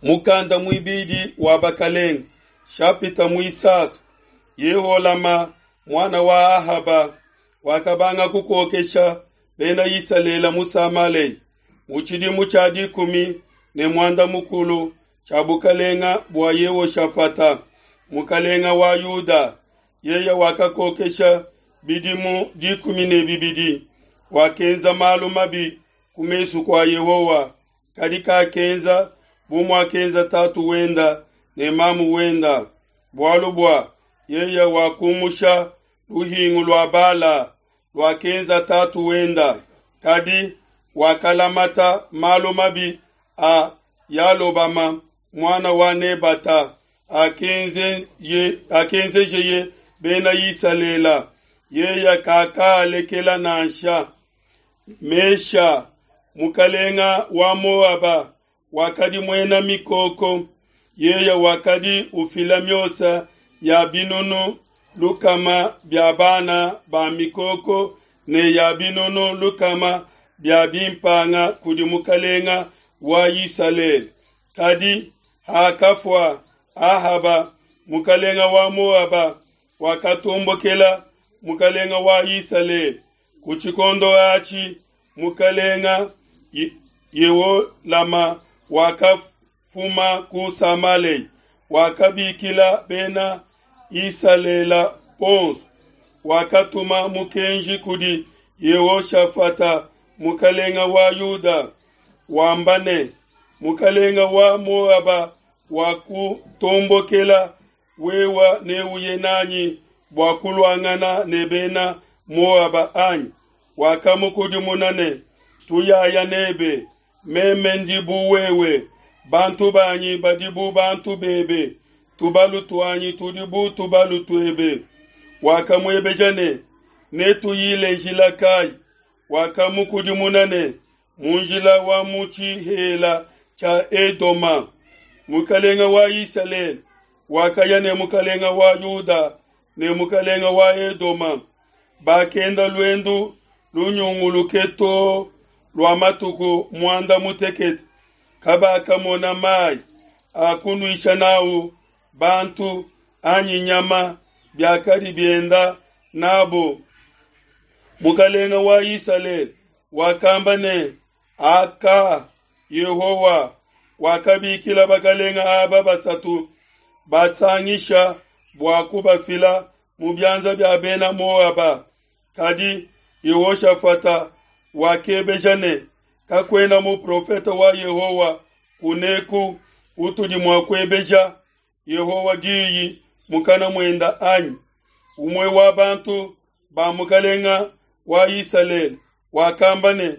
Mukanda muibidi wa Bakelenge, shapita muisatu. Yeholama muana wa Ahaba wakabanga kukokesha bena Isalele mu Samalea mu tshidimu tshia 18 tshia bukalenga bua Yehoshafata mukalenga wa Yuda. Yeye wakakokesha bidimu 12. Wakenza malu mabi ku mesu kua Yehowa, kadi kakenza bu muakenza tatu wenda ne mamu wenda, bualu bua yeye wakumusha luhingu lua Bala luakenza tatu wenda, kadi wakalamata malu mabi a Yalobama muana wa Nebata akenzejeye bena Isalele, yeye kakalekela nansha. Mesha mukalenga wa Moaba wakadi muena mikoko, yeye wakadi ufila miosa ya 60 bia bana ba mikoko ne ya 100 bia bimpanga kudi mukalenga wa Isalele. Kadi hakafua Ahaba mukalenga wa Moaba wakatombokela mukalenga wa Isalele. Ku tshikondo atshi mukalenga Yeholama wakafuma ku Samalea, wakabikila bena Isalele bonso, wakatuma mukenji kudi Yehoshafata mukalenga wa Yuda wamba ne, mukalenga wa Moaba wakutombokela wewa neuye nanyi bua kuluangana ne bena Moaba anyi? Wakamukudimuna ne, tuyaya nebe, meme ndi bu wewe, bantu banyi badi bu bantu bebe, tubalu tuanyi tudi bu tubalu tuebe. Wakamuebeja ne, netuyile njila kayi? Wakamukudimuna ne, mu njila wa mu tshihela tshia Edoma. Mukalenga wa Isalele wakaya ne mukalenga wa Yuda ne mukalenga wa Edoma. Bakenda luendu lunyunguluke too lua matuku 18, kabakamona mayi a kunuisha nawu bantu anyi nyama biakadi bienda nabo. Mukalenga wa Isalele wakamba ne, aka Yehowa wakabikila bakalenga aba basatu batsangisha bua kubafila mu bianza bia bena Moaba. Kadi Yehoshafata wakebeja ne, kakuena muprofete wa Yehowa kuneku utudi mua kuebeja Yehowa diyi mukana muenda anyi? Umue wa bantu ba mukalenga wa Isalele wakamba ne,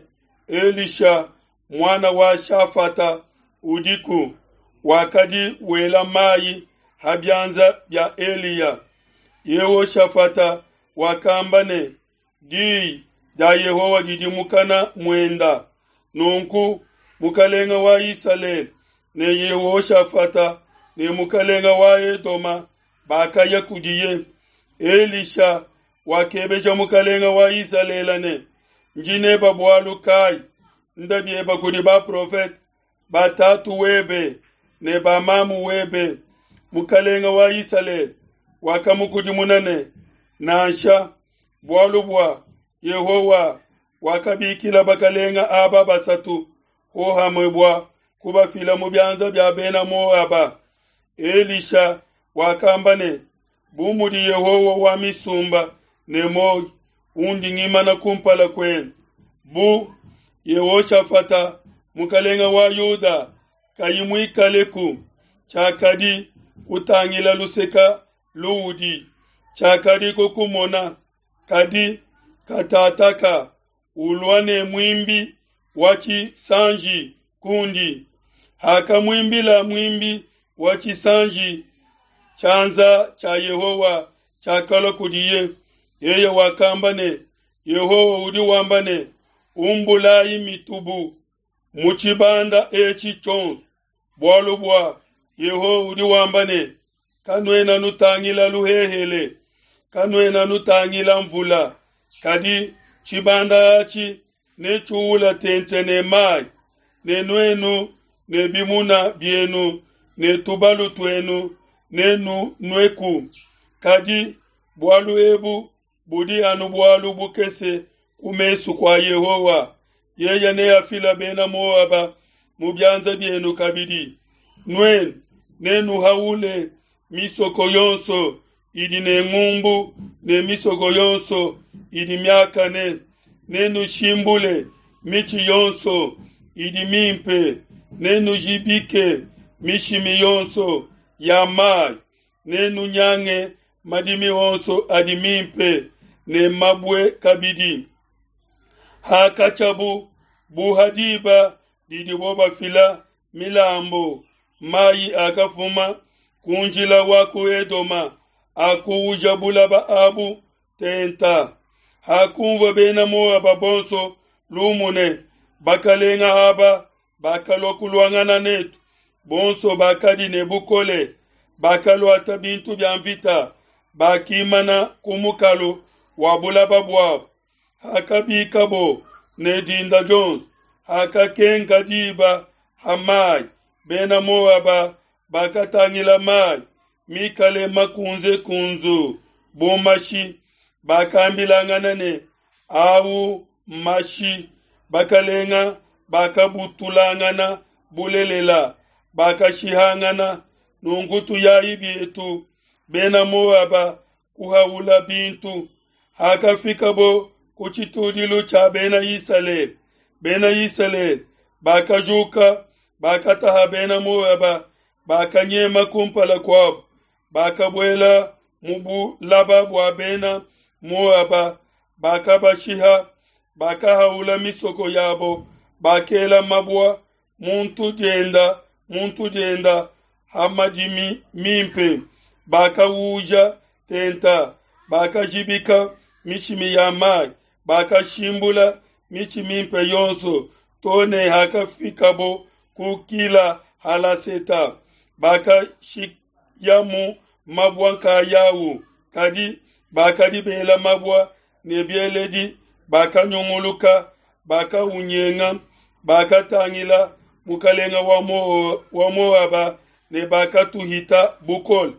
Elisha muana wa Shafata udiku, wakadi wela mayi ha bianza bia Eliya. Yehoshafata wakamba ne, diyi dia Yehowa didi mukana muenda. Nunku mukalenga wa Isalele ne Yehoshafata ne mukalenga wa Edoma bakaya kudiye. Elisha wakebeja mukalenga wa Isalele ne, ndi neba bualu kayi? Nda bieba kudi baprofete ba tatu webe ne ba mamu webe. Mukalenga wa Isalele wakamukudimuna ne, nansha, bualu bua Yehowa wakabikila bakalenga aba basatu hohamue bua kubafila mu bianza bia bena Moaba. Elisha wakamba ne, bu mudi Yehowa wa misumba ne muoyo undi ngimana kumpala kuende, bu Yehoshafata mukalenga wa Yuda kayi muikaleku, tshiakadi kutangila luseka luudi, tshiakadi kukumona, kadi katataka ulua ne muimbi wa tshisanji kundi. Hakamuimbila muimbi wa tshisanji, tshianza tshia Yehowa tshiakalua kudiye. Yeye wakamba ne, Yehowa udi wamba ne, umbulayi mitubu mu tshibanda etshi tshionso, bualu bua Yehowa udi wamba ne, kanuena nutangila luhehele, kanuena nutangila mvula, kadi tshibanda atshi netshiuwula tente ne mayi, ne nuenu ne bimuna bienu ne tubalu tuenu nenunueku. Kadi bualu ebu budi anu bualu bukese ku mesu kua Yehowa. Yeye neafile Bena Moaba mu bianza bienu kabidi. Nuenu nenuhaule misoko yonso idi ne ngumbu ne misoko yonso idi miakane. Nenushimbule mitshi yonso idi mimpe, nenujibike mishimi yonso ya mai, nenunyange madimi onso adi mimpe ne mabue kabidi. Hakatshiabu bu ha diba didibo bafila milambu, mai akafuma ku njila wa ku Edoma akuuja bulaba abu tenta. Hakunvua Bena Moaba bonso lumu ne, Bakalenga aba bakalua kuluangana netu, bonso bakadi ne bukole, bakaluata bintu bia mvita, bakimana ku mukalu wa bulaba buabo. Hakabikabo ne dinda dionso, hakakenka diba ha mai, Bena Moaba bakatangila mai mikale makunze-kunzu bu mashi, bakambilangana ne, Au mmashi, bakalenga bakabutulangana bulelela, bakashihangana. Nunku tuyayi bietu, Bena Moaba kuhaula bintu. Hakafikabo ku tshitudilu tshia Bena Isalele, Bena Isalele bakajuka, bakataha Bena Moaba, bakanyema kumpala kuabo, bakabuela mu bulaba bua Bena Moaba, bakabashiha, bakahaula misoko yabo, bakela mabua muntu dienda muntu dienda ha madimi mimpe, bakauja tenta, bakajibika mishimi ya mai, bakashimbula mitshi mimpe yonso, to ne hakafikabo ku Kila Halaseta, bakashiyamu mabua nkayau. Kadi bakadi bela mabua ne bieledi bakanyunguluka, bakaunyenga, bakatangila mukalenga wa Moaba ne bakatuhita bukole.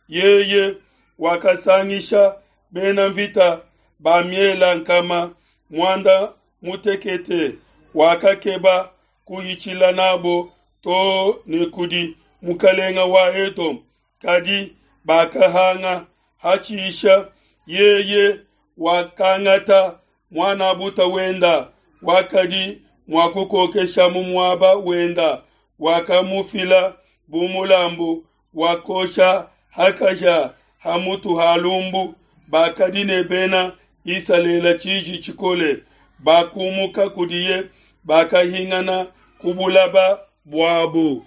Yeye wakasangisha bena mvita ba miela nkama muanda mutekete, wakakeba kuhitshila nabo to ne kudi mukalenga wa Edome, kadi bakahanga. Hatshisha yeye wakangata muan'abuta wenda wakadi mua kukokesha mu muaba wenda, wakamufila bu mulambu wa kosha hakaja ha mutu ha lumbu. Bakadi ne Bena Isalele tshiji tshikole, bakumuka kudiye, bakahingana ku bulaba buabo.